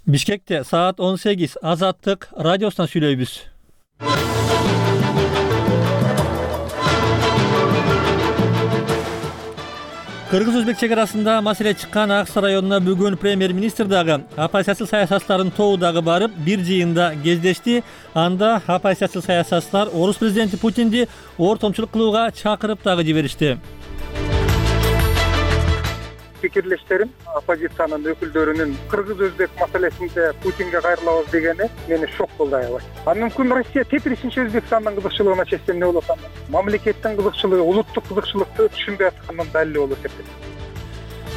Бишкекте саат 18 Азаттык радиосунан сүйлөйбүз. Кыргыз-Өзбек чек арасында маселе чыккан Ак Сай районуна бүгүн премьер-министр дагы оппозициялык саясатчылардын тобу дагы барып, бир жыйында кездешти. Анда оппозициялык саясатчылар орус президенти Путинди ортомчулук кылууга чакырып дагы жиберишти. Пикирлештерим оппозициянын өкүлдөрүнүн Кыргыз-Өзбек маселесинде Путинге кайрылабыз дегени мени шок болду аябай. Мүмкүн Россия тепиришинчи Өзбекстандын кызыкчылыгына чечсем эмне болот анда? Мамлекеттин кызыкчылыгы, улуттук кызыкчылыкты түшүнбөй аткандын далили болот деп.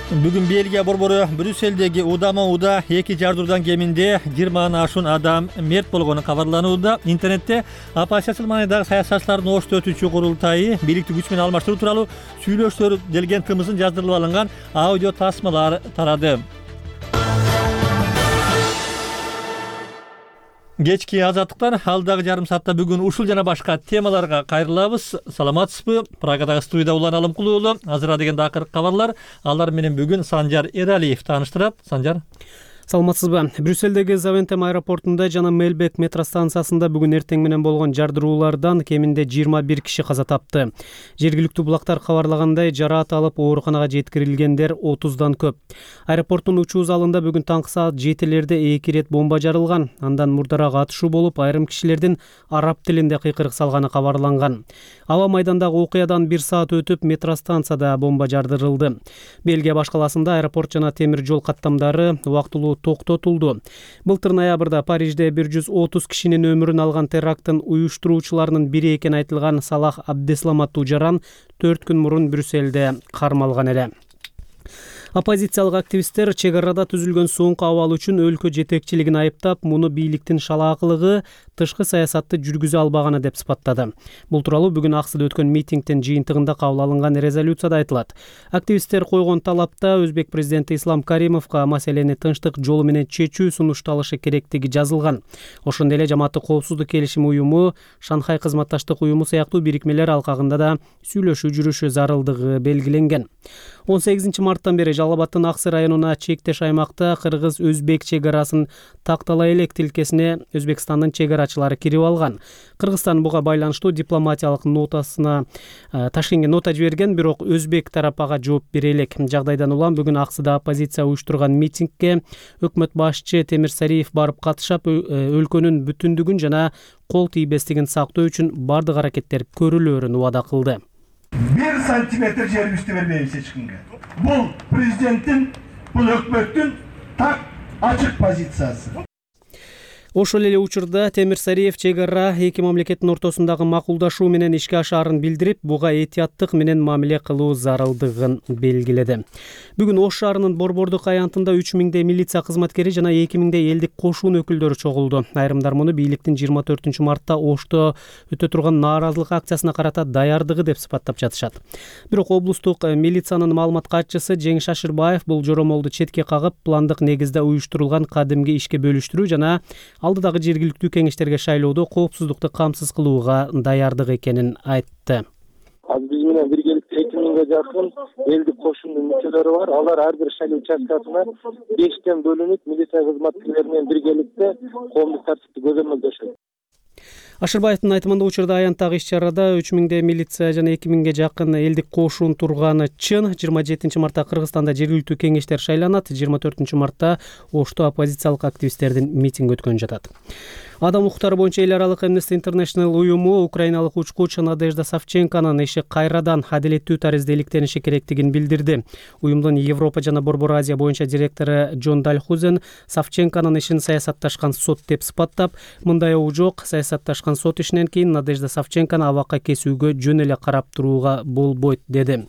Бүгүн Бельгия борбору Брюсселдеги удама-уда 2 жардыруудан кеминде 20 ашуун адам мерт болгону кабарланууда. Интернетте оппозициялык маанидагы саясатчылардын ошто өтүүчү курултайы бийликти күч менен алмаштыруу тууралуу сүйлөшүүлөр делген тымызын жаздырылып алынган аудио тасмалар тарады. Кечки Азаттыктан алдагы жарым саатта бүгүн ушул жана башка темаларга кайрылабыз. Саламатсызбы? Прагадагы студияда Улан Алымкулуу. Азыр дегенде акыркы кабарлар. Алар менен бүгүн Санжар Эралиев тааныштырат. Санжар. Саламатсызбы? Брюссельдеги Завентем аэропортунда жана Мелбек метро станциясында бүгүн эртең менен болгон жардыруулардан кеминде 21 киши каза тапты. Жергиликтүү булактар кабарлагандай, жараат алып ооруканага жеткирилгендер 30дан көп. Аэропорттун учуу залында бүгүн таңкы саат 7лерде 2 рет бомба жарылган. Андан мурдараак атышуу болуп, айрым кишилердин араб тилинде кыйкырык салганы кабарланган. Аба майдандагы окуядан 1 саат өтүп, метро станцияда бомба жардырылды. Бельгия башкаласында аэропорт жана темир жол каттамдары убактылуу токтотулду. Былтыр ноябрда Парижде 130 кишинин өмүрүн алган теракттын уюштуруучуларынын бири экени айтылган Салах Абдесламат Тужаран 4 күн мурун Брюссельде кармалган эле. Оппозициялык активисттер чек арада түзүлгөн соңку абал үчүн өлкө жетекчилигин айыптап, муну бийликтин шалаакылыгы, тышкы саясатты жүргүзө албаганы деп сыпаттады. Бул тууралуу бүгүн Аксыда өткөн митингдин жыйынтыгында кабыл алынган резолюцияда айтылат. Активисттер койгон талапта Өзбек президенти Ислам Каримовго маселени тынчтык жолу менен чечүү сунушталышы керектиги жазылган. Ошондой эле Жамааттык коопсуздук келишими уюму, Шанхай кызматташтык уюму сыяктуу бирикмелер алкагында да сүйлөшүү жүрүшү зарылдыгы белгиленген. 18 марттан бери Жалал Абадтын Ак Сай районуна чектеш аймакта Кыргыз-Өзбек чек арасын тактала элек тилкесине Өзбекстандын чек арачылары кирип алган. Кыргызстан буга байланыштуу дипломатиялык нотасына Ташкентке нота жиберген, бирок Өзбек тарап ага жооп бере элек. Жагдайдан улам бүгүн Аксыда оппозиция уюштурган митингге өкмөт башчы Темир Сариев барып катышып, өлкөнүн бүтүндүгүн жана кол тийбестигин сактоо үчүн бардык аракеттер көрүлөөрүн убада кылды. 1 сантиметр жерибизди бербейбиз эч кимге. Бул президенттин, бул өкмөттүн так ачык позициясы. Ошол эле учурда Темир Сариев чек ара эки мамлекеттин ортосундагы макулдашуу менен ишке ашаарын билдирип, буга этияттык менен мамиле кылуу зарылдыгын белгиледи. Бүгүн Ош шаарынын Борбордук аянтында 3000 милиция кызматкери жана 2000 элдик кошун өкүлдөрү чогулду. Айрымдар муну бийликтин 24 мартта Ошто өтө турган нааразылык акциясына карата даярдыгы деп сыпаттап жатышат. Бирок облустук милициянын маалымат катчысы Жеңиш Шашырбаев бул жоромолду четке кагып, пландык негизде уюштурулган кадимки ишке бөлүштүрүү жана алдыдагы жергиликтүү кеңештерге шайлоодо коопсуздукту камсыз кылууга даярдык экенин айтты. Биз менен биргеликте 2000ге жакын элдик кошундун мүчөлөрү бар. Алар ар бир шайлоо участкасына 5тен бөлүнүп, милиция кызматкерлери менен биргеликте коомдук тартипти көзөмөлдөшөт. Ашырбаевдин айтымында учурда аянттагы иш-чарада 3000 милиция жана 2000ге жакын элдик кошун турганы чын. 27 мартта Кыргызстанда жергиликтүү кеңештер шайланат. 24 мартта Ошто оппозициялык активисттердин митинги өткөн жатат. Адам укуктары боюнча эл аралык Amnesty International уюму украиналык учкуч Надежда Савченконун иши кайрадан адилеттүү тарызда иликтениши керектигин билдирди. Уюмдун Европа жана Борбор Азия боюнча директору Джон Дальхузен Савченконун ишин саясатташкан сот деп сыпаттап, мындай оо жок, саясатташкан сот ишинен кийин Надежда Савченкону абакка кесүүгө жөн эле карап турууга болбойт деди.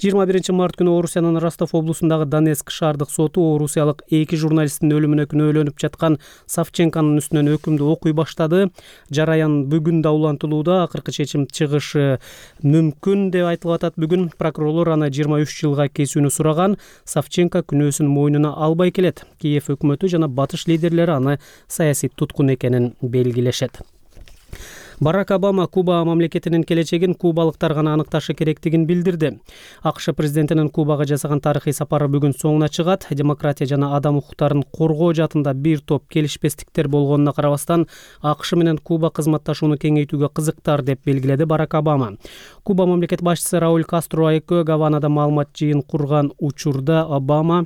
21 март күнү Орусиянын Ростов облусундагы Донецк шаардык соту орусиялык 2 журналисттин өлүмүнө күнөөлөнүп жаткан Савченконун үстүнөн өкүмдү окуй баштады. Жараян бүгүн да улантылууда, акыркы чечим чыгышы мүмкүн деп айтылып атат. Бүгүн прокурорлор аны 23 жылга кесүүнү сураган. Савченко күнөөсүн мойнуна албай келет. Киев өкмөтү жана батыш лидерлери аны саясий туткун экенин белгилешет. Барак Обама Куба мамлекетинин келечегин кубалыктар гана аныкташы керектигин билдирди. АКШ президентинин Кубага жасаган тарыхый сапары бүгүн соңуна чыгат. Демократия жана адам укуктарын коргоо жаатында бир топ келишпестиктер болгонуна карабастан, АКШ менен Куба кызматташууну кеңейтүүгө кызыктар деп белгиледи Барак Обама. Куба мамлекет башчысы Рауль Кастро экөө Гаванада маалымат жыйын курган учурда Обама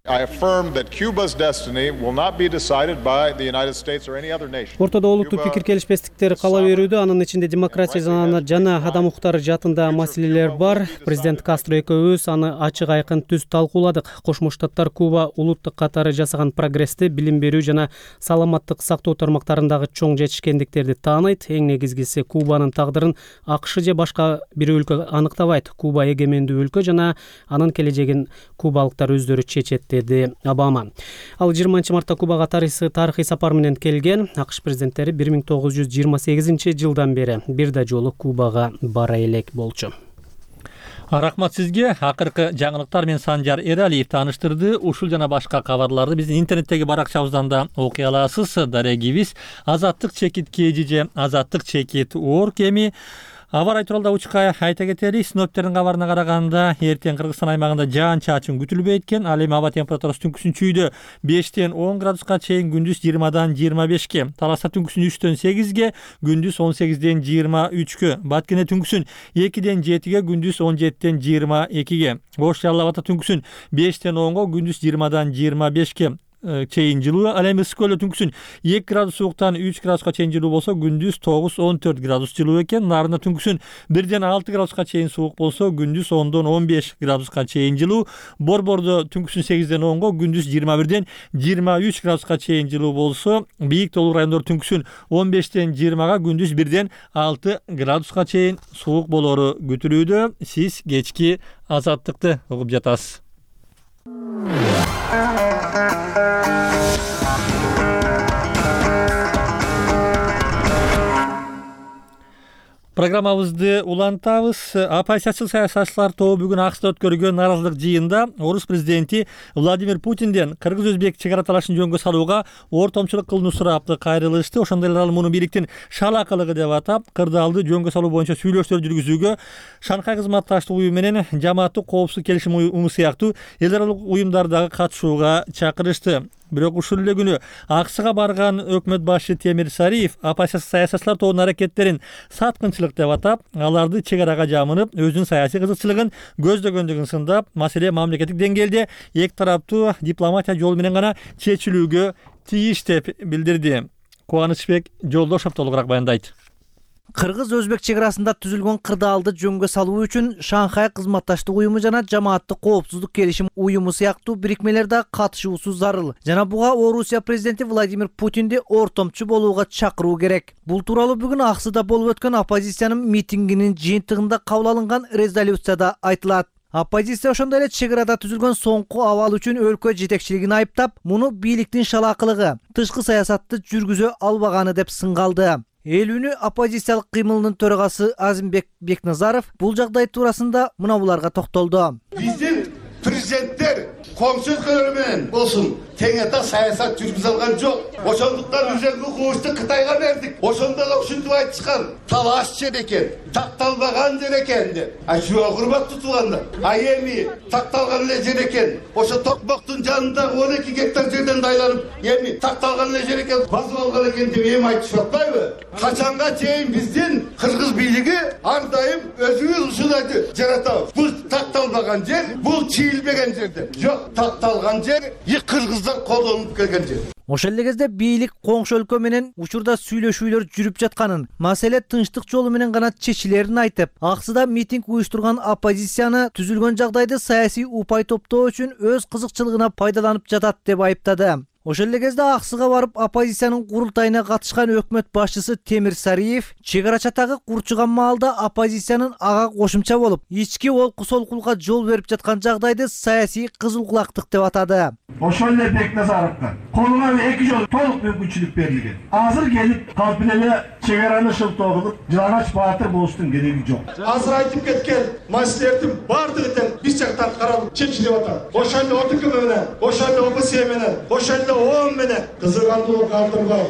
I affirm that Cuba's destiny will not be decided by the United States or any other nation. Ортодо олуттуу пикир келишпестиктер кала берүүдө, анын ичинде демократия жана адам укуктары жаатында маселелер бар. Президент Кастро экөөбүз аны ачык айкын түз талкууладык. Кошмо Штаттар Куба улуттук катары жасаган прогрессти, билим берүү жана саламаттык сактоо тармактарындагы чоң жетишкендиктерди тааныйт. Эң негизгиси Кубанын тагдырын АКШ же башка бир өлкө аныктабайт. Куба эгемендүү өлкө жана анын келечегин кубалыктар өздөрү чечет, деди Обама. Ал 20 мартта Кубага тарыхый сапар менен келген. АКШ президенттери 1928 жылдан бери бир да жолу Кубага бара элек болчу. Рахмат сизге. Акыркы жаңылыктар мен Санжар Эралиев тааныштырды. Ушул жана башка кабарларды биздин интернеттеги баракчабыздан да окуй аласыз. Дарегибиз Азаттык чекит KG Азаттык чекит org эми аба рай тууралуу учка айта кетели. Синоптиктердин кабарына караганда эртең Кыргызстан аймагында жаан-чачын күтүлбөйт экен. Ал эми аба температурасы түнкүсүн чүйдө 5тен 10 градуска чейин, күндүз 20дан 25ке, Таласта түнкүсүн 3төн 8ге, күндүз 18ден 23кө, Баткене түнкүсүн 2ден 7ге, күндүз 17ден 22ге, Ош Жалал Абадта түнкүсүн 5тен 10го, күндүз 20дан 25ке чейин жылуу. Ал эми Ысык Көлдө түнкүсүн 2 градус сууктан 3 градуска чейин жылуу болсо, күндүз 9-14 градус жылуу экен. Нарында түнкүсүн 1ден 6 градуска чейин суук болсо, күндүз 10дон 15 градуска чейин жылуу. Борбордо түнкүсүн 8ден 10го, күндүз 21ден 23 градуска чейин жылуу болсо, Бийик Тоолуу райондор түнкүсүн 15ден 20га, күндүз 1ден 6 градуска чейин суук болору күтүлүүдө. Сиз кечки Азаттыкты угуп жатасыз. Программабызды улантабыз. Оппозициячыл саясатчылар тобу бүгүн АКШда өткөргөн нааразылык жыйында орус президенти Владимир Путинден кыргыз-өзбек чек ара талашын жөнгө салууга ортомчулук кылууну сурапты, кайрылышты. Ошондой эле ал муну бийликтин шалакылыгы деп атап, кырдаалды жөнгө салуу боюнча сүйлөшүүлөр жүргүзүүгө Шанхай кызматташтык уюму менен Жамааттык коопсуздук келишим уюму сыяктуу эл аралык уюмдардагы катышууга чакырышты. Бирок ушул эле күнү АКШга барган өкмөт башчы Темир Сариев оппозиция саясатчылар тобунун аракеттерин саткынчылык деп атап, аларды чек арага жамынып, өзүнүн саясий кызыкчылыгын көздөгөндүгүн сындап, маселе мамлекеттик деңгээлде эки тараптуу дипломатия жолу менен гана чечилүүгө тийиш деп билдирди. Кубанычбек Жолдошов толугураак баяндайт. Кыргыз-өзбек чек арасында түзүлгөн кырдаалды жөнгө салуу үчүн Шанхай кызматташтык уюму жана Жамааттык коопсуздук келишим уюму сыяктуу бирикмелерде катышуусу зарыл. Жана буга Орусия президенти Владимир Путинди ортомчу болууга чакыруу керек. Бул тууралуу бүгүн АКШда болуп өткөн оппозициянын митингинин жыйынтыгында кабыл алынган резолюцияда айтылат. Оппозиция ошондой эле чек арада түзүлгөн соңку абал үчүн өлкө жетекчилигин айыптап, муну бийликтин шалакылыгы, тышкы саясатты жүргүзө албаганы деп сынгалды. Эл үнү оппозициялык кыймылынын төрагасы Азимбек Бекназаров бул жагдай туурасында мына буларга токтолду. Биздин президенттер коңшу өлкөлөр менен болсун теңете саясат жүргүзө алган жок. Ошондуктан үзеңги кубучту Кытайга бердик. Ошондо да ушинтип айтышкан. Талаш жер экен, такталбаган жер экен деп. Ачуга урматтуу туугандар. Эми такталган эле жер экен. Ошо Токмоктун жанындагы 12 гектар жерден дайланып, эми такталган эле жер экен, басып алган экен деп эми айтышып атпайбы? Качанга чейин биздин кыргыз бийлиги ар дайым өзүбүз ушуларды жаратабыз. Бул такталбаган жер, бул чийилбеген жерде. Жок, такталган жер, кыргыздар колдонуп келген жер. Ошол эле кезде бийлик коңшу өлкө менен учурда сүйлөшүүлөр жүрүп жатканын, маселе тынчтык жолу менен гана чечилерин айтып, АКШда митинг уюштурган оппозицияны түзүлгөн жагдайды саясий упай топтоо үчүн өз кызыкчылыгына пайдаланып жатат деп айыптады. Ошол эле кезде АКШга барып оппозициянын курултайына катышкан өкмөт башчысы Темир Сариев чек ара чатагы курчуган маалда оппозициянын ага кошумча болуп, ички олку солкулукка жол берип жаткан жагдайды саясий кызылкулактык деп атады. Ошол эле Бекназаровго колуна 2 жол толук мүмкүнчүлүк берилген. Азыр келип калп эле чегараны шылтоо кылып жыланач баатыр болуштун кереги жок. Азыр айтып кеткен маселелердин бардыгы тең биз жактан каралып чечилип атат. Ошол эле ОТК менен, ошол эле ОПС менен, ошол эле ООН менен кызыгандуу калтырбай.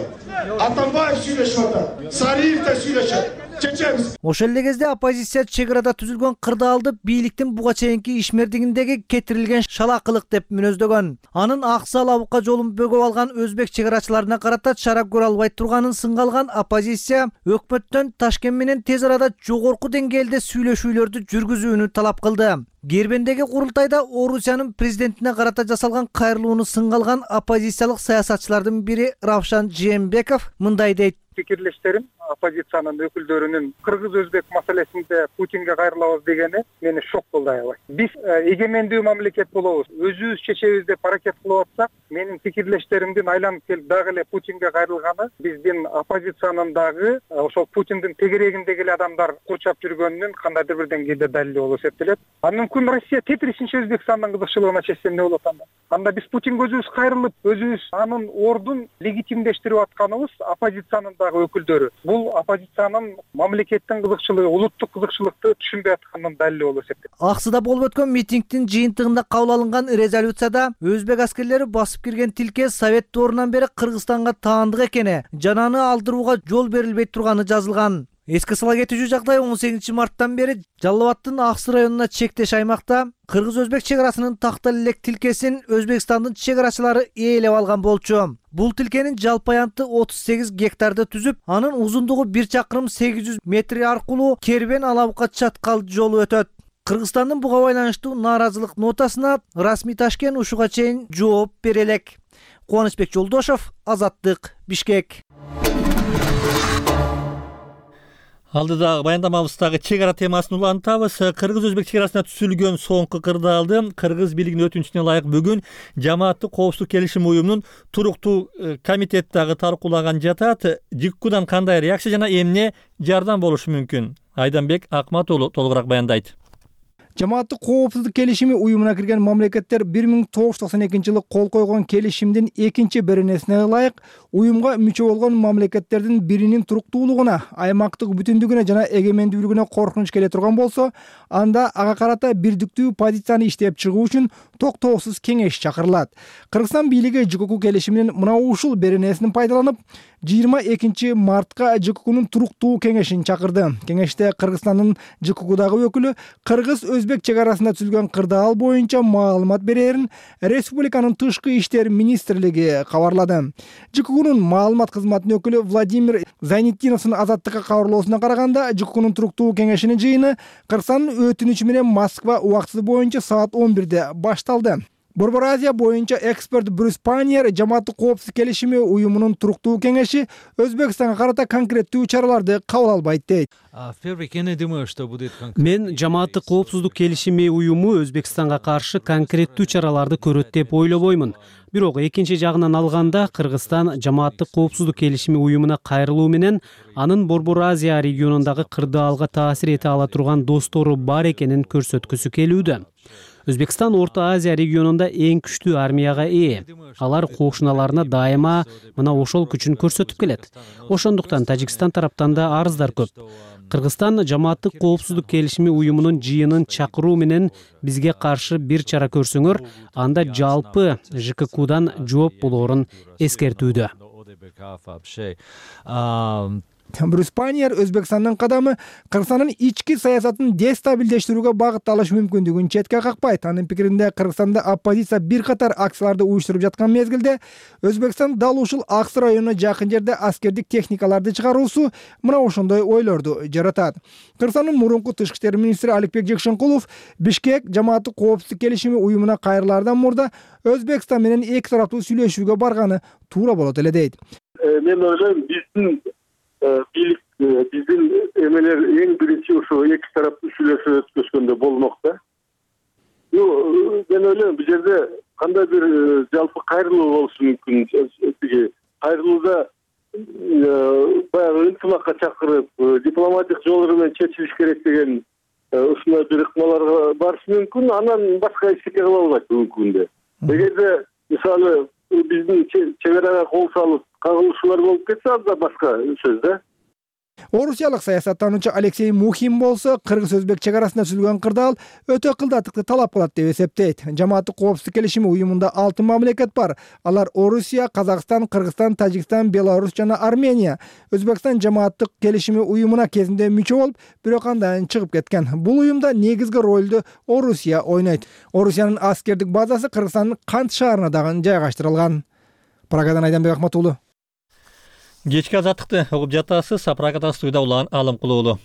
Атамбаев сүйлөшүп атат. Сариев да сүйлөшөт. Чечебиз. Ошол эле кезде оппозиция чек арада түзүлгөн кырдаалды бийликтин буга чейинки ишмердигиндеги кетирилген шалакылык деп мүнөздөгөн. Анын аксы алабыкка жолун бөгөп алган өзбек чек арачыларына карата чара көрө албай турганын сынга алган оппозиция өкмөттөн Ташкент менен тез арада жогорку деңгээлде сүйлөшүүлөрдү жүргүзүүнү талап кылды. Гербендеги курултайда Орусиянын президентине карата жасалган кайрылууну сынга алган оппозициялык саясатчылардын бири Равшан Жээнбеков мындай дейт. Пикирлештерим оппозициянын өкүлдөрүнүн кыргыз-өзбек маселесинде Путинге кайрылабыз дегени мени шок кылды аябай. Биз эгемендүү мамлекет болобуз, өзүбүз чечебиз деп аракет кылып атсак, менин пикирлештеримдин айланып келип дагы эле Путинге кайрылганы биздин оппозициянын дагы ошол Путиндин тегерегиндеги эле адамдар курчап жүргөнүнүн кандайдыр бир деңгээлде далили болуп эсептелет. Андан мүмкүн Россия тетрисинче Өзбекстандын кызыкчылыгына чечсем эмне болот анда? Анда биз Путинге өзүбүз кайрылып, өзүбүз анын ордун легитимдештирип атканыбыз оппозициянын өкүлдөрү. Бул оппозициянын мамлекеттин кызыкчылыгы, улуттук кызыкчылыкты түшүнбөй атканынын далили болуп эсептелет. Аксыда болуп өткөн митингдин жыйынтыгында кабыл алынган резолюцияда өзбек аскерлери басып кирген тилке Совет доорунан бери Кыргызстанга таандык экени, жананы алдырууга жол берилбей турганы жазылган. Эске сала кетүүчү жагдай 18 марттан бери Жалал Абадтын Аксы районуна чектеш аймакта кыргыз-өзбек чек арасынын тактал элек тилкесин Өзбекстандын чек арачылары ээлеп алган болчу. Бул тилкенин жалпы аянты 38 гектарды түзүп, анын узундугу 1 чакырым 800 метр аркылуу Кербен Алабыкка чаткал жолу өтөт. Кыргызстандын буга байланыштуу нааразылык нотасына расмий Ташкент ушуга чейин жооп бере элек. Кубанычбек Жолдошов, Азаттык, Бишкек. Алдыдагы баяндамабыздагы чек ара темасын улантабыз. Кыргыз-өзбек чек арасында түзүлгөн соңку кырдаалды кыргыз бийлигинин өтүнүчүнө ылайык бүгүн жамааттык коопсуздук келишим уюмунун туруктуу комитети дагы талкуулаган жатат. ЖККдан кандай реакция жана эмне жардам болушу мүмкүн? Айданбек Акмат уулу толугураак баяндайт. Жамааттык коопсуздук келишими уюмуна кирген мамлекеттер 1992-жылы кол койгон келишимдин экинчи беренесине ылайык уюмга мүчө болгон мамлекеттердин биринин туруктуулугуна, аймактык бүтүндүгүнө жана эгемендүүлүгүнө коркунуч келе турган болсо, анда ага карата бирдиктүү позицияны иштеп чыгуу үчүн токтоосуз кеңеш чакырылат. Кыргызстан бийлиги ЖКК келишиминин мына ушул беренесин пайдаланып, 22 мартка ЖККнун туруктуу кеңешин чакырды. Кеңеште Кыргызстандын ЖККдагы өкүлү кыргыз-өзбек чек арасында түзүлгөн кырдаал боюнча маалымат берерин республиканын тышкы иштер министрлиги кабарлады. ЖККнун маалымат кызматынын өкүлү Владимир Зайнетдиновдун Азаттыкка кабарлоосуна караганда, ЖККнун туруктуу кеңешинин жыйыны Кыргызстандын өтүнүчү менен Москва убактысы боюнча саат 11-де башталды. Борбор Азия боюнча эксперт Брюс Паньер жамааттык коопсуздук келишими уюмунун туруктуу кеңеши Өзбекстанга карата конкреттүү чараларды кабыл албайт дейт. Мен жамааттык коопсуздук келишими уюму Өзбекстанга каршы конкреттүү чараларды көрөт деп ойлобоймун. Бирок экинчи жагынан алганда, Кыргызстан жамааттык коопсуздук келишими уюмуна кайрылуу менен анын Борбор Азия регионундагы кырдаалга таасир эте ала турган достору бар экенин көрсөткүсү келүүдө. Өзбекстан Орто Азия регионунда эң күчтүү армияга ээ. Алар кошуналарына дайыма мына ошол күчүн көрсөтүп келет. Ошондуктан Тажикстан тараптан да арыздар көп. Кыргызстан жамааттык коопсуздук келишими уюмунун жыйынын чакыруу менен бизге каршы бир чара көрсөңөр, анда жалпы ЖККдан жооп болоорун эскертүүдө. Брюс Паньер Өзбекстандын кадамы Кыргызстандын ички саясатын дестабилдештирүүгө багытталышы мүмкүндүгүн четке какпайт. Анын пикиринде, Кыргызстанда оппозиция бир катар акцияларды уюштуруп жаткан мезгилде Өзбекстан дал ушул Аксы районуна жакын жерде аскердик техникаларды чыгаруусу мына ошондой ойлорду жаратат. Кыргызстандын мурунку тышкы иштер министри Аликбек Жекшенкулов Бишкек жамааттык коопсуздук келишими уюмуна кайрылаардан мурда Өзбекстан менен эки тараптуу сүйлөшүүгө барганы туура болот эле дейт. Мен ойлойм, бийлик биздин эмелер эң биринчи ошо эки тараптуу сүйлөшүү өткөзгөндө болмок да. Мен ойлойм, бул жерде кандай бир жалпы кайрылуу болушу мүмкүн. Кайрылууда баягы ынтымакка чакырып, дипломатик жолдор менен чечилиш керек деген ушундай бир ыкмаларга барышы мүмкүн. Анан башка эчтеке кыла албайт бүгүнкү күндө. Эгерде мисалы биздин чек арага кол салып кагылышуулар болуп кетсе, анда башка сөз да. Орусиялык саясаттануучу Алексей Мухин болсо кыргыз өзбек чек арасында түзүлгөн кырдаал өтө кылдаттыкты талап кылат деп эсептейт. Жамааттык коопсуздук келишими уюмунда 6 мамлекет бар. Алар Орусия, Казакстан, Кыргызстан, Тажикстан, Беларусь жана Армения. Өзбекстан жамааттык келишими уюмуна кезинде мүчө болуп, бирок андан чыгып кеткен. Бул уюмда негизги ролду Орусия ойнойт. Орусиянын аскердик базасы Кыргызстандын Кант шаарына дагы жайгаштырылган. Прагадан Айданбек Ахматуулу. Кечки азаттыкты угуп жатасыз. Прагада студияда улан Алым Кулуулу.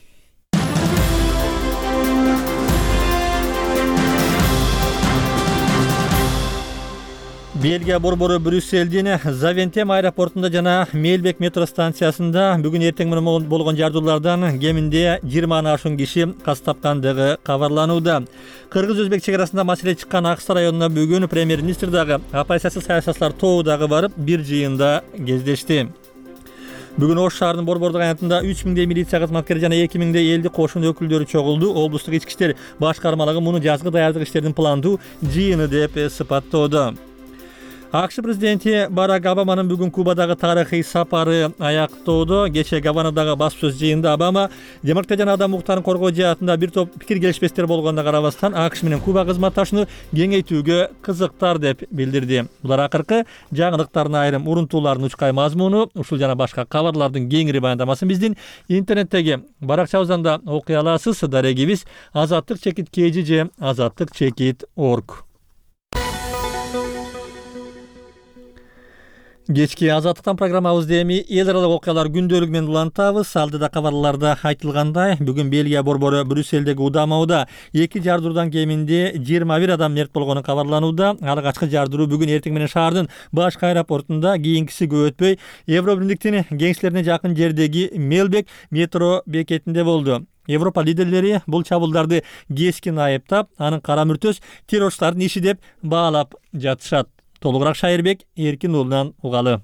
Бельгия борбору Брюсселдин Завентем аэропортунда жана Мелбек метро станциясында бүгүн эртең менен болгон жардуулардан кеминде 20 ашуун киши каз тапкандыгы кабарланууда. Кыргыз-өзбек чек арасында маселе чыккан Аксай районуна бүгүн премьер-министр дагы, оппозициялык саясатчылар тобу дагы барып бир жыйында кездешти. Бүгүн Ош шаарынын борбордук аянтында 3000 милиция кызматкери жана 2000 элдик кошун өкүлдөрү чогулду. Облустук ички иштер башкармалыгы муну жазгы даярдык иштеринин пландуу жыйыны деп сыпаттоодо. АКШ президенти Барак Обаманын бүгүн Кубадагы тарыхый сапары аяктоодо. Кечээ Гаванадагы баспсөз жыйынында Обама демократия жана адам укуктарын коргоо жаатында бир топ пикир келишпестер болгонуна карабастан АКШ менен Куба кызматташууну кеңейтүүгө кызыктар деп билдирди. Булар акыркы жаңылыктардын айрым урунтууларынын учкай мазмуну. Ушул жана башка кабарлардын кеңири баяндамасын биздин интернеттеги баракчабыздан да окуй аласыз. Дарегибиз azatlyk-kg же azatlyk-org. Кечки азаттыктан программабызды эми эл аралык окуялар күндөлүгү менен улантабыз. Алдыда кабарларда айтылгандай, бүгүн Бельгия борбору Брюссельдеги удамауда 2 жардыруудан кеминде 21 адам мерт болгону кабарланууда. Алгачкы жардыруу бүгүн эртең менен шаардын башкы аэропортунда, кийинкиси көп өтпөй Евробиримдиктин кеңселерине жакын жердеги Мелбек метро бекетинде болду. Европа лидерлери бул чабуулдарды кескин айыптап, анын кара мүртөс террорчулардын иши деп баалап жатышат. Толугураак Шайырбек Эркин уулунан угалы.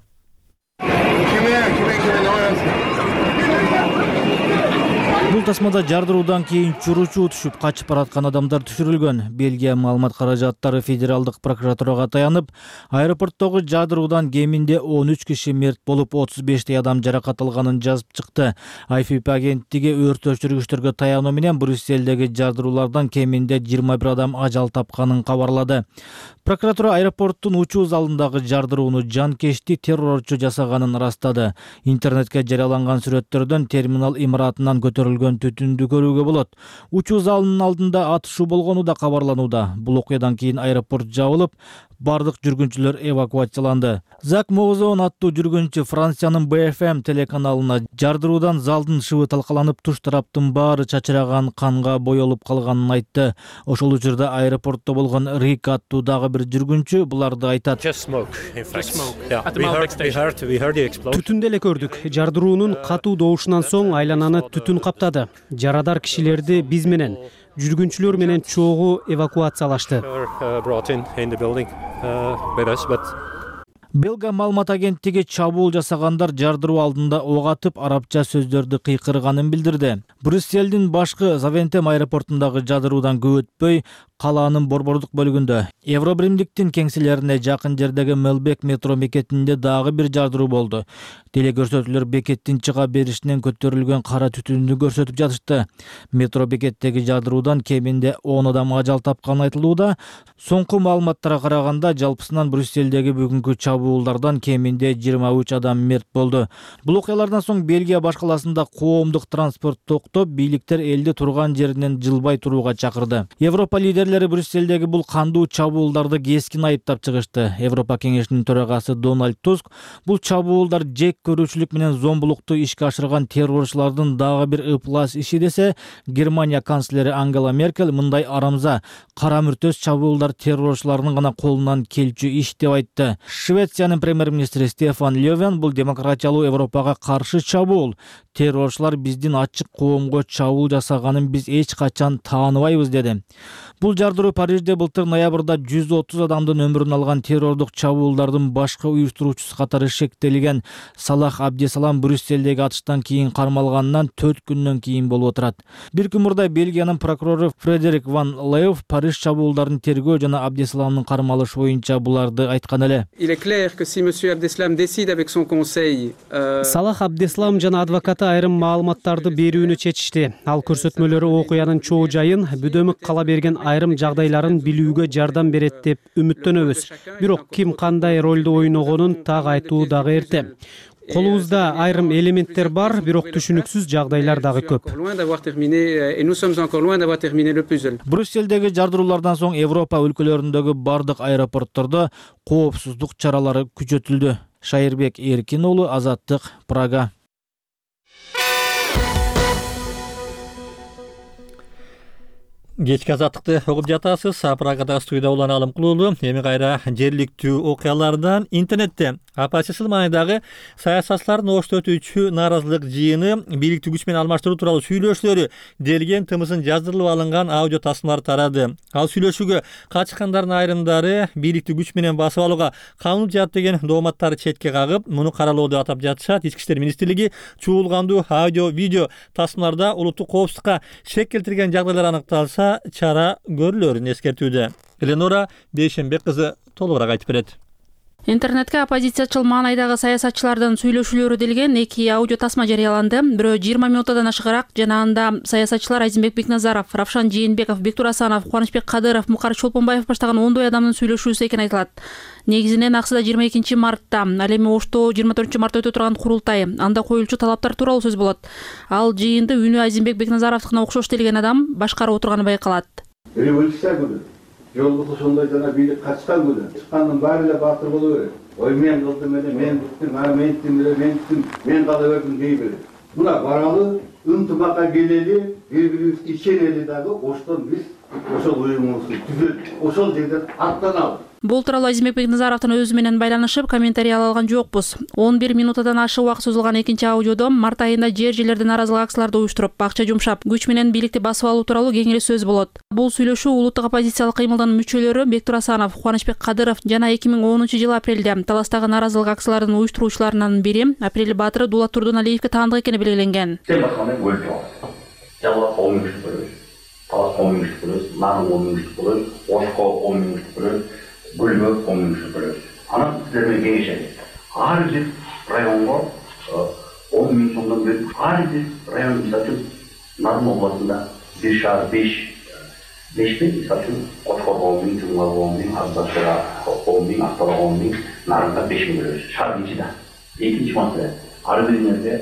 Бул тасмада жардыруудан кийин чуручу түшүп качып бараткан адамдар түшүрүлгөн. Бельгия маалымат каражаттары федералдык прокуратурага таянып, аэропорттогу жардыруудан кеминде 13 киши мерт болуп, 35 адам жаракат алганын жазып чыкты. AFP агенттиги өрт өчүргүчтөргө таянуу менен Брюссельдеги жардыруулардан кеминде 21 адам ажал тапканын кабарлады. Прокуратура аэропорттун учуу залындагы жардырууну жанкечти террорчу жасаганын ырастады. Интернетке жарыяланган сүрөттөрдөн терминал имаратынан көтөрүлгөн түтүндү көрүүгө болот. Учуу залынын алдында атышуу болгону да кабарланууда. Бул окуядан кийин аэропорт жабылып, бардык жүргүнчүлөр эвакуацияланды. Зак Мозон аттуу жүргүнчү Франциянын BFM телеканалына жардыруудан залдын шыбы талкаланып, туш тараптын баары чачыраган, канга боелуп калганын айтты. Ошол учурда аэропортто болгон Рик аттуу дагы бир жүргүнчү буларды айтат. Түтүндү эле көрдүк. Жардыруунун катуу доошунан соң айлананы түтүн каптады. Жарадар кишилерди биз менен, жүргүнчүлөр менен чогуу эвакуациялашты. Белга маалымат агенттиги чабуул жасагандар жардыруу алдында ок атып, арабча сөздөрдү кыйкырганын билдирди. Брюссельдин башкы Завентем аэропортундагы жардыруудан көп өтпөй, калаанын борбордук бөлүгүндө Евробиримдиктин кеңселерине жакын жердеги Мелбек метро бекетинде дагы бир жардыруу болду. Телекөрсөтүүлөр бекеттин чыга беришинен көтөрүлгөн кара түтүндү көрсөтүп жатышты. Метро бекеттеги жардыруудан кеминде 10 адам ажал тапканы айтылууда. Соңку маалыматтарга караганда, жалпысынан Брюссельдеги бүгүнкү чабуулдардан кеминде 23 адам мерт болду. Бул окуялардан соң Бельгия баш каласында коомдук транспорт токтоп, бийликтер элди турган жеринен жылбай турууга чакырды. Европа лидерлери Брюссельдеги бул кандуу чабуулдарды кескин айыптап чыгышты. Европа кеңешинин төрагасы Дональд Туск бул чабуулдар жек көрүүчүлүк менен зомбулукту ишке ашырган террорчулардын дагы бир ыплас иши десе, Германия канцлери Ангела Меркель мындай арамза, кара мүртөс чабуулдар террорчулардын гана колунан келчү иш деп айтты. Швециянын премьер-министри Стефан Лёвен бул демократиялуу Европага каршы чабуул. Террорчулар биздин ачык коомго чабуул жасаганын биз эч качан тааныбайбыз деди. Бул жардыруу Парижде былтыр ноябрда 130 адамдын өмүрүн алган террордук чабуулдардын башкы уюштуруучусу катары шектелген Салах Абдесалам Брюссельдеги атыштан кийин кармалганынан 4 күндөн кийин болуп отурат. Бир күн мурда Бельгиянын прокурору Фредерик ван Леев Париж чабуулдарын тергөө жана Абдесаламдын кармалышы боюнча буларды айткан эле. Салах Абдесалам жана адвокаты айрым маалыматтарды берүүнү чечишти. Ал көрсөтмөлөрү окуянын чоо жайын, бүдөмүк кала берген айрым жагдайларын билүүгө жардам берет деп үмүттөнөбүз. Бирок ким кандай ролду ойногонун так айтуу дагы эрте. Колубузда айрым элементтер бар, бирок түшүнүксүз жагдайлар дагы көп. Брюссельдеги жардыруулардан соң Европа өлкөлөрүндөгү бардык аэропорттордо коопсуздук чаралары күчөтүлдү. Шайырбек Эркин уулу, Азаттык, Прага. Кечки азаттыкты угуп жатасыз. Прагада студияда Улан Алым Кулуулу. Эми кайра жергиликтүү окуялардан интернетте АПЧСыл маанидагы саясатчылардын ошто өтүүчү нааразылык жыйыны бийликтик күч менен алмаштыруу тууралуу сүйлөшүүлөрү делген тымысын жаздырылып алынган аудио тасмалар тарады. Ал сүйлөшүүгө катышкандардын айрымдары бийликтик күч менен басып алууга канун жаат деген дооматтарды четке кагып, муну каралоо деп атап жатышат. Ички иштер министрлиги чуулгандуу аудио видео тасмаларда улуттук коопсуздукка шек келтирген жагдайлар аныкталса чара көрүлөрүн эскертүүдө. Эленора Бейшенбек кызы толугураак айтып берет. Интернетке оппозициячыл маанайдагы саясатчылардын сүйлөшүүлөрү делген 2 аудио тасма жарыяланды. Бирөө 20 минуттан ашыгыраак жана анда саясатчылар Айзенбек Бекназаров, Равшан Жээнбеков, Бектур Асанов, Кубанычбек Кадыров, Мукар Чолпонбаев баштаган 10 адамдын сүйлөшүүсү экени айтылат. Негизинен аксыда 22 мартта, ал эми Ошто 24 мартта өтө турган курултай, анда коюлчу талаптар тууралуу сөз болот. Ал жыйынды үнү Айзенбек Бекназаровдукуна окшош делген адам башкарып отурганы байкалат. Жолдук ошондой жана бийлик качкан күнү чыккандын баары эле баатыр боло берет. Ой мен кылдым эле, мен бүттүм, мен иттим эле, мен иттим, мен кала бердим дей берет. Мына баралы, ынтымакка келели, бири-бирибизге ишенели дагы, оштон биз ошол уюмубузду түзөп, ошол жерден аттаналы. Бул тууралуу Айзенбек Бекназаровдун өзү менен байланышып, комментарий ала алган жокпуз. 11 минуттан ашык убакыт созулган экинчи аудиодо март айында жер-жерлерде нааразылык акцияларды уюштуруп, акча жумшап, күч менен бийликти басып алуу тууралуу кең эле сөз болот. Бул сүйлөшүү улуттук оппозициялык кыймылдын мүчөлөрү Бектур Асанов, Кубанычбек Кадыров жана 2010 апрелде Таластагы нааразылык акциялардын уюштуруучуларынын бири Апрель Баатыры Дулат Турдуналиевге таандык экени белгиленген. Талас 10 минуттук бөлөбүз, Нарын 10 минуттук бөлөбүз, Ошко 10 минуттук бөлөбүз, Гүлбө 10 минуттук бөлөбүз. Анан сиздер менен кеңешебиз. Ар бир районго 10 минут сомдон бөлүп, ар бир район мисалы үчүн Нарын областында бир шаар 5 миң, мисалы үчүн Кошкор 10 миң, Чуңгар 10 миң, Ардашыра 10 миң, Ақтала 10 миң, Нарынга 5 миң бөлөбүз. Шаар ичинде. Экинчи маселе, ар биринерге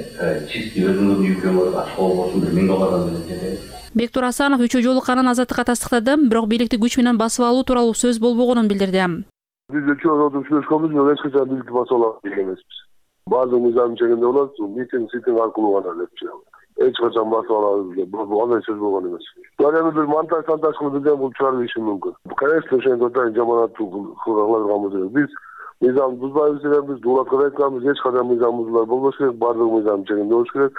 чисти өзүңөрдүн үйкөңөр ачкы болбосун $1000 берет. Бектур Асанов үчөө жолукканын Азаттыкка тастыктады, бирок бийликти күч менен басып алуу тууралуу сөз болбогонун билдирди. Биз өчөө сүйлөшкөнбүз, бирок эч качан бийликти басып алалы деген эмеспиз. Баардык мыйзам чегинде болот, митинг аркылуу гана деп чыгат. Эч качан басып алабыз деп андай сөз болгон эмес. Эми бир монтаж кылып бирден бул чыгарып ийиши мүмкүн. Конечно, ошентип атайын жаманаттуу кылганбыз эмес. Биз мыйзамды бузбайбыз деген биз Дулатка да айтканбыз, эч качан мыйзам бузулар болбош керек, баардык мыйзам чегинде болуш керек.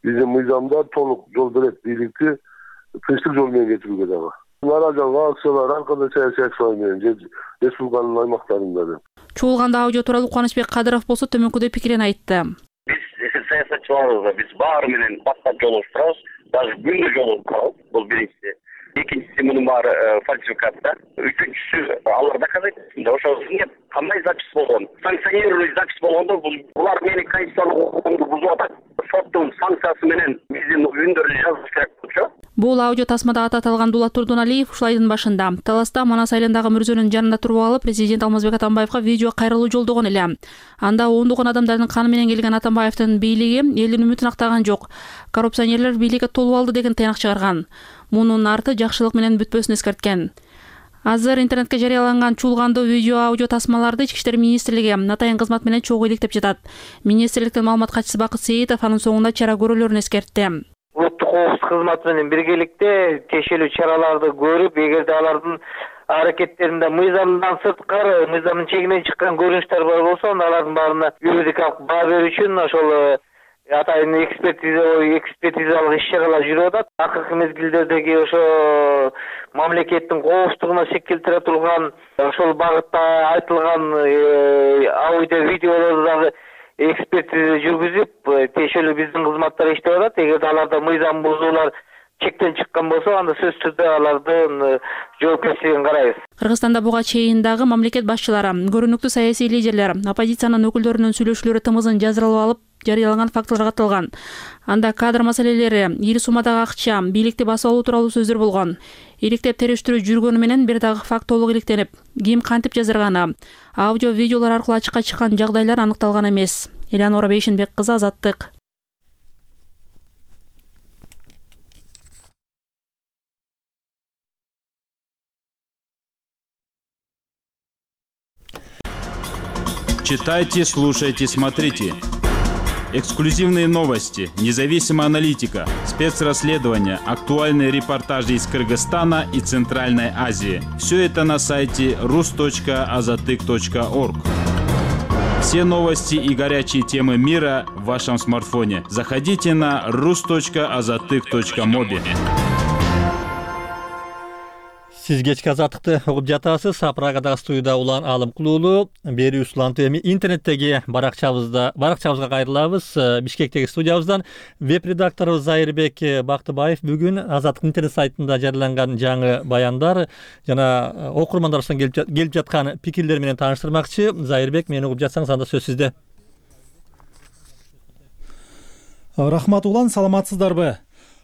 Биздин мыйзамдар толук жол берет бийликти тынчтык жол менен кетирүүгө дагы. Нааразылык акциялар ар кандай саясий акциялар менен республиканын аймактарында. Чуулганда аудио тууралуу Кубанычбек Кадыров болсо төмөнкүдөй пикирин айтты. Биз саясатчыларыбызга биз баары менен баттап жолугуп турабыз, даже күндө жолугуп турабыз. Бул биринчиси. Экинчиси мунун баары фальсификатта. Үчүнчүсү алар доказать этсин. Ошо кандай запись болгон? Санкционированный запись болгондо булар менин конституциялык укугумду бузуп атат. Соттун санкциясы менен биздин үндөрдү жазыш керек болчу. Бул аудио тасмада аты аталган Дулат Турдуналиев ушул айдын башында Таласта Манас айылындагы мүрзөнүн жанында туруп алып, президент Алмазбек Атамбаевга видео кайрылуу жолдогон эле. Анда ондогон адамдардын каны менен келген Атамбаевдин бийлиги элдин үмүтүн актаган жок. Коррупционерлер бийликке толуп алды деген тыйнак чыгарган. Мунун арты жакшылык менен бүтпөсүн эскерткен. Азыр интернетке жарыяланган чуулгандуу видео аудио тасмаларды Ички иштер министрлиги атайын кызмат менен чогуу иликтеп жатат. Министрликтин маалымат катчысы Бакыт Сейитов анын соңунда чара көрүүлөрүн эскертти. Улуттук коопсуздук кызматы менен биргеликте тиешелүү чараларды көрүп, эгерде алардын аракеттеринде мыйзамдан сырткары, мыйзамдын чегинен чыккан көрүнүштөр бар болсо, алардын баарына юридикалык баа берүү үчүн ошол атайын экспертизалык иш-чаралар жүрүп атат. Акыркы мезгилдердеги ошо мамлекеттин коопсуздугуна шек келтире турган ошол багытта айтылган аудио видеолорду дагы экспертиза жүргүзүп, тиешелүү биздин кызматтар иштеп атат. Эгерде аларда мыйзам бузуулар чектен чыккан болсо, анда сөзсүз түрдө алардын жоопкерчилигин карайбыз. Кыргызстанда буга чейин дагы мамлекет башчылары, көрүнүктүү саясий лидерлер оппозициянын өкүлдөрүнүн сүйлөшүүлөрү тымызын жазыралап алып жарыялаган фактылар катталган. Анда кадр маселелери, ири суммадагы акча, бийликти басып алуу тууралуу сөздөр болгон. Иликтеп териштирүү жүргөнү менен бир дагы факт толук иликтенип, ким кантип жазырганы, аудио видеолор аркылуу ачыкка чыккан жагдайлар аныкталган эмес. Элеонора Бейшенбек кызы, Азаттык. Читайте, слушайте, смотрите. Эксклюзивные новости, независимая аналитика, спецрасследования, актуальные репортажи из Кыргызстана и Центральной Азии. Все это на сайте rus.azatyk.org. Все новости и горячие темы мира в вашем смартфоне. Заходите на rus.azatyk.mobi. Сиз кечки Азаттыкты угуп жатасыз. Прагадагы студияда улан Алым Кулуулу. Берүүбүз улан ТВ интернеттеги баракчабызга кайрылабыз. Бишкектеги студиябыздан веб-редакторубуз Зайырбек Бактыбаев бүгүн Азаттык интернет сайтында жарыяланган жаңы баяндар жана окурмандарыбыздан келип жаткан пикирлер менен тааныштырмакчы. Зайырбек, мени угуп жатсаңыз, анда сөз сизде. Рахмат улан, саламатсыздарбы?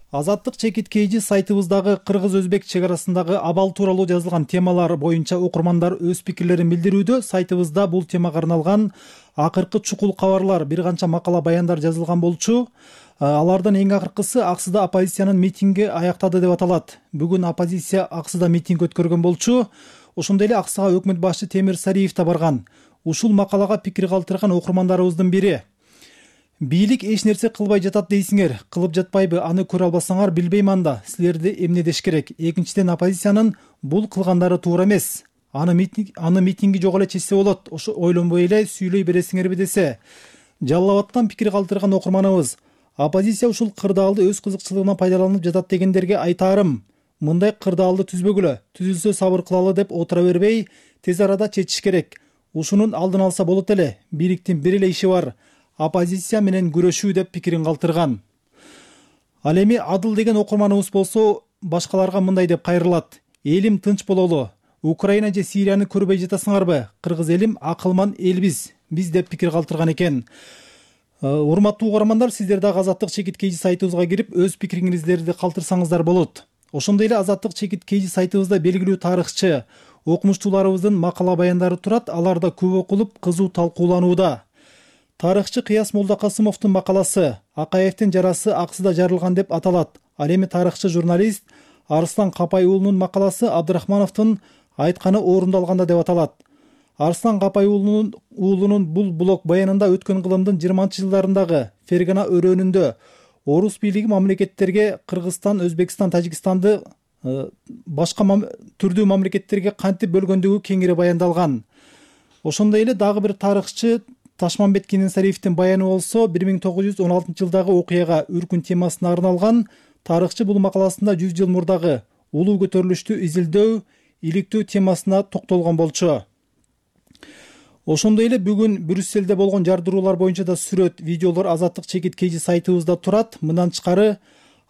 Азаттык чекит KG сайтыбыздагы кыргыз-өзбек чек арасындагы абал тууралуу жазылган темалар боюнча окурмандар өз пикирлерин билдирүүдө. Сайтыбызда бул темага арналган акыркы чукул кабарлар, бир канча макала, баяндар жазылган болчу. Алардан эң акыркысы Аксыда оппозициянын митинги аяктады деп аталат. Бүгүн оппозиция Аксыда митинг өткөргөн болчу. Ошондой эле Аксыга өкмөт башчы Темир Сариев да барган. Ушул макалага пикир калтырган окурмандарыбыздын бири: бийлик эч нерсе кылбай жатат дейсиңер, кылып жатпайбы, аны көрө албасаңар билбейм, анда силерди эмне деш керек. Экинчиден, оппозициянын бул кылгандары туура эмес. Аны митинги жок эле чечсе болот, ошо ойлонбой эле сүйлөй бересиңерби десе. Жалал Абадтан пикир калтырган окурманыбыз: оппозиция ушул кырдаалды өз кызыкчылыгынан пайдаланып жатат дегендерге айтаарым: мындай кырдаалды түзбөгүлө, түзүлсө сабыр кылалы деп отура бербей, тез арада чечиш керек. Ушунун алдын алса болот эле. Бийликтин бир эле иши бар: оппозиция менен күрөшүү, деп пикирин калтырган. Ал эми Адыл деген окурманыбыз болсо башкаларга мындай деп кайрылат: элим тынч бололу, Украина же Сирияны көрбөй жатасыңарбы? Кыргыз элим акылман элбиз, биз, деп пикир калтырган экен. Урматтуу угармандар, сиздер дагы Азаттык чекит KG сайтыбызга кирип өз пикириңиздерди калтырсаңыздар болот. Ошондой эле Азаттык чекит KG сайтыбызда белгилүү тарыхчы, окумуштууларыбыздын макала, баяндары турат. Алар да көп окулуп, кызуу талкууланууда. Тарыхчы Кыяс Молдокасымовдун макаласы «Акаевдин жарасы Аксыда жарылган» деп аталат. Ал эми тарыхчы журналист Арслан Капай уулунун макаласы Абдрахмановдун айтканы орундалганда деп аталат. Арслан Капай уулунун бул блог баянында өткөн кылымдын 20-жылдарындагы Фергана өрөөнүндө орус бийлиги мамлекеттерге Кыргызстан, Өзбекстан, Тажикстанды башка түрдүү мамлекеттерге кантип бөлгөндүгү кеңири баяндалган. Ошондой эле дагы бир тарыхчы Ташмамбет Кененсариевдин баяны болсо 1916-жылдагы окуяга Үркүн темасына арналган. Тарыхчы бул макаласында 100 жыл мурдагы улуу көтөрүлүштү изилдөө, иликтөө темасына токтолгон болчу. Ошондой эле бүгүн Брюсселде болгон жардыруулар боюнча да сүрөт, видеолор Азаттык чекит KG сайтыбызда турат. Мындан тышкары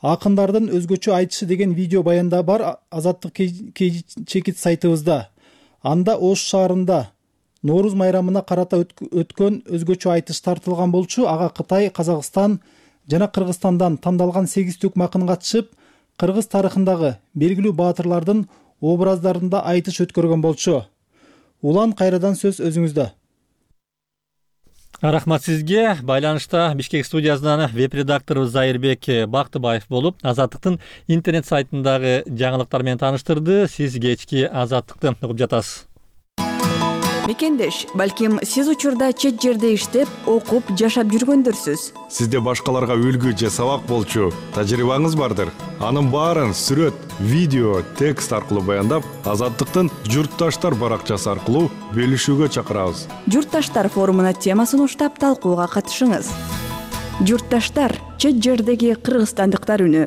акындардын өзгөчө айтышы деген видео баянда бар Азаттык KG чекит сайтыбызда. Анда Ош шаарында Нооруз майрамына карата өткөн өзгөчө айтыш тартылган болчу. Ага Кытай, Казакстан жана Кыргызстандан тандалган 8 түк макын катышып, кыргыз тарыхындагы белгилүү баатырлардын образдарында айтыш өткөргөн болчу. Улан, кайрадан сөз өзүңүздө. Рахмат сизге. Байланышта Бишкек студиясынан веб-редакторубуз Зайырбек Бактыбаев болуп, Азаттыктын интернет сайтындагы жаңылыктар менен тааныштырды. Сиз кечки Азаттыкты угуп жатасыз. Мекендеш, балким сиз учурда чет жерде иштеп, окуп, жашап жүргөндөрсүз. Сизде башкаларга үлгү же сабак болчу тажрыйбаңыз бардыр. Анын баарын сүрөт, видео, текст аркылуу баяндап, Азаттыктын Журтташтар баракчасы аркылуу бөлүшүүгө чакырабыз. Журтташтар форумуна темасын уштап талкууга катышыңыз. Журтташтар, чет жердеги кыргызстандыктар үнү.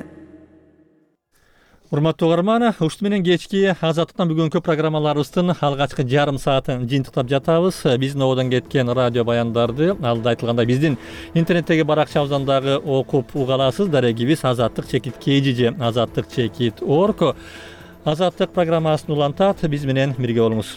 Урматтуу угарман, ушул менен кечки Азаттыктан бүгүнкү программаларыбыздын алгачкы жарым саатын жыйынтыктап жатабыз. Биздин ободон кеткен радио баяндарды алда айтылгандай биздин интернеттеги баракчабыздан дагы окуп уга аласыз. Дарегибиз azattik-kg же azattik-org. Азаттык программасын улантат. Биз менен бирге болуңуз.